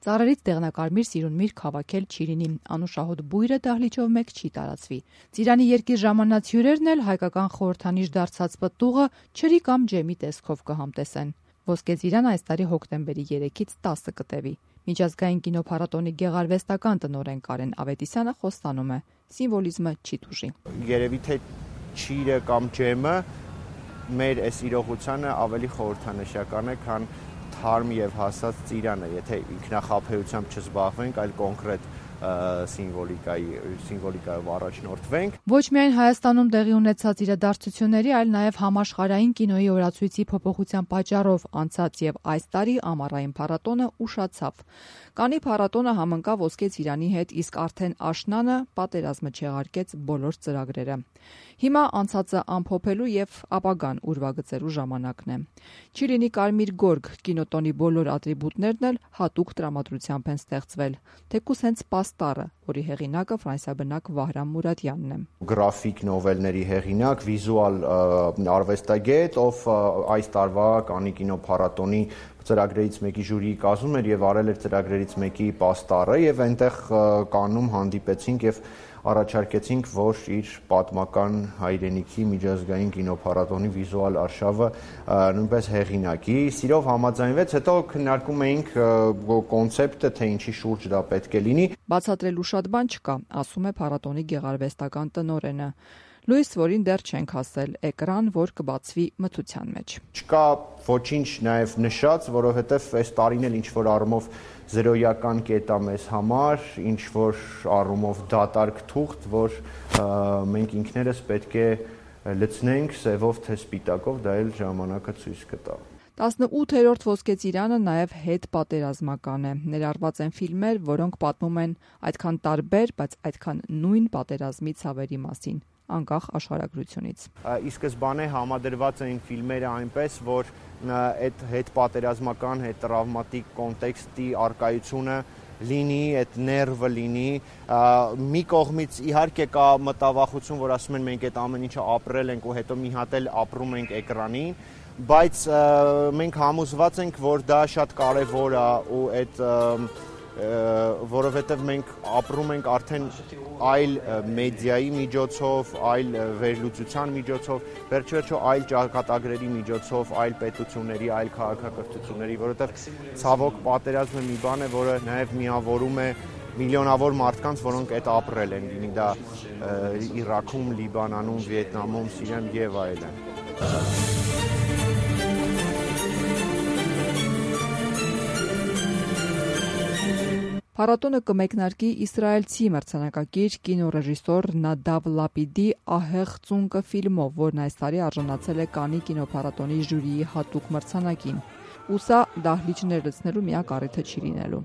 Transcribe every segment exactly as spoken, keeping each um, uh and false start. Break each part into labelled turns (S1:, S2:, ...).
S1: Ծառերից դեղնակարմիր սիրունմիրգ հավաքել չի լինի, անուշահոտ բույրը դահլիճով մեկ չի տարածվի։ Ծիրանի երկիր ժամանած հյուրերն էլ հայկական խորհրդանիշ դարձած պտուղը ջրի կամ ջեմի տեսքով կհամտեսեն։ Ոսկե ծիրան այս տարի հոկտեմբերի երեքից տասը կտևի։ Միջազգային կինոփառատոնի գեղարվեստական տնօրեն Կարեն Ավետիսյանը խոստանում է՝ սիմվոլիզմը չի տուժի։
S2: Երևի թե ջիրը կամ ջեմը մեր այս իրողությանը ավելի խորհրդանշական է, քան թարմ եւ հասած ծիրանը, եթե ինքնախաբեությամբ չզբաղվենք, այլ կոնկրետ սիմվոլիկայի սիմվոլիկայով առաջնորդվենք։
S1: Ոչ միայն Հայաստանում տեղի ունեցած իրադարձությունների, այլ նաև համաշխարհային կինոյի օրացույցի փոփոխության պատճառով անցած եւ այս տարի ամառային փառատոնը ուշացավ։ Կանի փառատոնը համընկավ Ոսկե ծիրանի հետ, իսկ արդեն աշնանը պատերազմը չեղարկեց բոլոր ծրագրերը։ Հիմա անցածը ամփոփելու եւ ապագան ուրվագծելու ժամանակն է։ Չի լինի կարմիր գորգ, կինոտոնի բոլոր ատրիբուտներն էլ հատուկ տրամադրությամբ են ստեղծվել, թեկուզ հենց պաստառը, որի հեղինակը ֆրանսիաբնակ Վահրամ Մուրադյանն է։
S2: Գրաֆիկ նովելների հեղինակ, վիզուալ արվեստագետ, ով այս տարվա Կաննի կինոփառատոնի ծրագրերից մեկի ժյուրիի կազմում էր եւ արել էր ծրագրերից մեկի պաստառը եւ այնտեղ Կաննում հանդիպեցինք եւ առաջարկեցինք, որ իր պատմական հայրենիքի միջազգային կինոփառատոնի վիզուալ արշավը նույնպես հեղինակի։ Սիրով համաձայնվեց, հետո քննարկում էինք կոնցեպտը, թե ինչի շուրջ դա պետք է լինի։
S1: Բացատրելու շատ բան չկա, ասում է փառատոնի գեղարվեստական տնօրենը։ Լույս, որին դեռ չենք հասել, էկրան, որ կբացվի մթության մեջ։
S2: Չկա ոչինչ նաև նշած, որովհետև այս տարին էլ ինչ-որ առումով զրոյական կետ է մեզ համար, ինչ-որ առումով դատարկ թուղթ, որ մենք ինքներս պետք է լցնենք սևով թե սպիտակով, դա էլ ժամանակը ցույց կտա։
S1: տասնութերորդ Ոսկե ծիրանը նաև հետպատերազմական է։ Ներառված են ֆիլմեր, որոնք պատմում են այդքան տարբեր, բայց այդքան նույն պատերազմի ցավերի մասին, անկախ աշխարհագրությունից։
S2: Ի սկզբանե համադրված էին ֆիլմերը այնպես, որ այդ հետպատերազմական, հետտրավմատիկ կոնտեքստի արկայությունը լինի, այդ ներվը լինի։ Մի կողմից իհարկե կա մտավախություն, որ ասում են մենք այդ ամեն ինչը ապրել ենք ու հետո մի հատ էլ ապրում ենք էկրանին, բայց մենք համոզված ենք, որ դա շատ կարևոր է ու այդ որովհետև մենք ապրում ենք արդեն այլ մեդիայի միջոցով, այլ վերլուծության միջոցով, վերջիվերջո այլ ճակատագրերի միջոցով, այլ պետությունների, այլ քաղաքակրթությունների, որովհետև ցավոք պատերազմը մի բան է, որը նաև միավորում է միլիոնավոր մարդկանց, որոնք այդ ապրել են, լինի դա Իրաքում, Լիբանանում, Վիետնամում, Սիրիայում եւ այլն։
S1: Փառատոնը կմեկնարկի իսրայելցի մրցանակակիր կինոռեժիսոր Նադավ Լապիդի «Ահեղ ծունկը» ֆիլմով, որն այս տարի արժանացել է Կաննի կինոփառատոնի ժյուրիի հատուկ մրցանակին։ Ու սա դահլիճներ լցնելու միակ առիթը չի լինելու։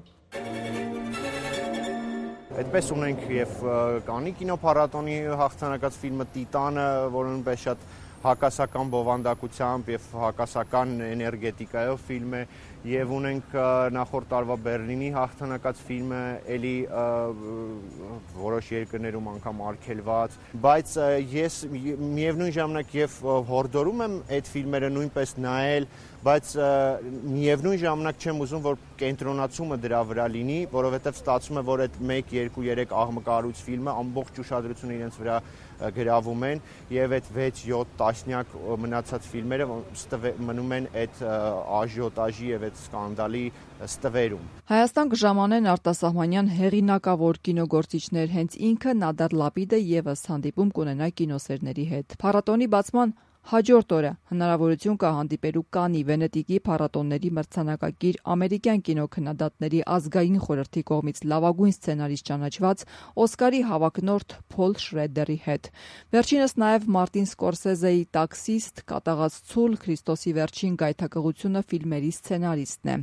S2: Այդպես ունենք եւ Կաննի կինոփառատոնի հաղթանակած ֆիլմը Տիտանը, որը նույնպես շատ հակասական բովանդակությամբ եւ հակասական էներգետիկայով ֆիլմ է, եւ ունենք նախորդ տարվա Բեռլինի հաղթանակած ֆիլմը, էլի որոշ երկրներում անգամ արգելված, բայց ես միևնույն ժամանակ եւ հորդորում եմ այդ ֆիլմերը նույնպես նայել, բայց միևնույն ժամանակ չեմ ուզում, որ կենտրոնացումը դրա վրա լինի, որովհետև ստացվում է, որ այդ մեկ, երկու, երեք աղմկարույց ֆիլմը ամբողջ ուշադրությունը իրենց վրա գրավում են եւ այդ վեց յոթ տասնյակ մնացած ֆիլմերը մնում են այդ աժիոտաժի եւ այդ սկանդալի ստվերում։
S1: Հայաստան կժամանեն արտասահմանյան հեղինակավոր կինոգործիչներ, հենց ինքը Նադար Լապիդը եւս հանդիպում կունենա կինոսերների հետ։ Փառատոնի բացման հաջորդ օրը հնարավորություն կա հանդիպելու Կաննի, Վենետիկի փառատոնների մրցանակակիր ամերիկյան կինոքննադատների ազգային խորհրդի կողմից լավագույն սցենարիստ ճանաչված Օսկարի հավակնորդ Փոլ Շրեդերի հետ։ Վերջինս նաև Մարտին Սկորսեզեի «Տաքսիստ», «Կատաղած ցուլ», «Քրիստոսի վերջին գայթակղությունը» ֆիլմերի սցենարիստն է։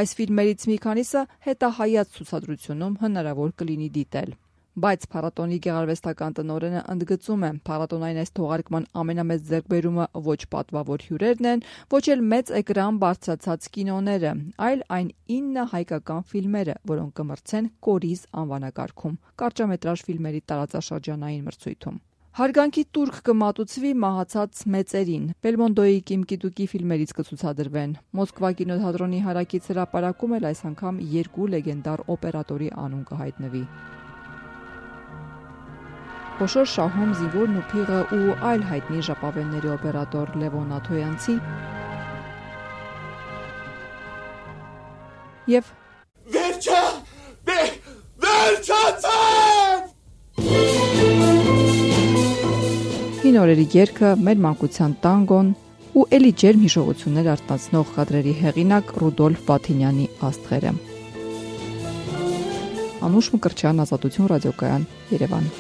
S1: Այս ֆիլմերից մի քանիսը հետահայաց ցուցադրությունում հնարավոր կլինի դիտել։ Բայց փառատոնի գեղարվեստական տնօրենը ընդգծում է, փառատոնային այս թողարկման ամենամեծ ձեռքբերումը ոչ պատվավոր հյուրերն են, ոչ էլ մեծ էկրան բարձրացած կինոները, այլ այն ինը հայկական ֆիլմերը, որոնք կմրցեն Կորիզ անվանակարգում կարճամետրաժ ֆիլմերի տարածաշրջանային մրցույթում։ Հարգանքի տուրք կմատուցվի մահացած մեծերին։ Բելմոնդոյի Կիմ Կի-դուկի ֆիլմերից կցուցադրվեն։ Մոսկվա կինոթատրոնի հարակից հրապարակում էլ այս անգամ երկու լեգենդար օպերատորի անուն կհայտնվի։ Խոշոր շահում Զինվորն ու փիղը ու այլ հայտնի ժապավենների օպերատոր Լևոն Աթոյանցի եւ
S3: Վերջա! Վերջացավ!
S1: Հին օրերի երգը, մեր մանկության տանգոն ու էլի ջերմ հիշողություններ արտացնող կադրերի հեղինակ Ռուդոլֆ Վաթինյանի աստղերը։ Անուշ Մկրտչյան, Ազատություն ռադիոկայան, Երևան։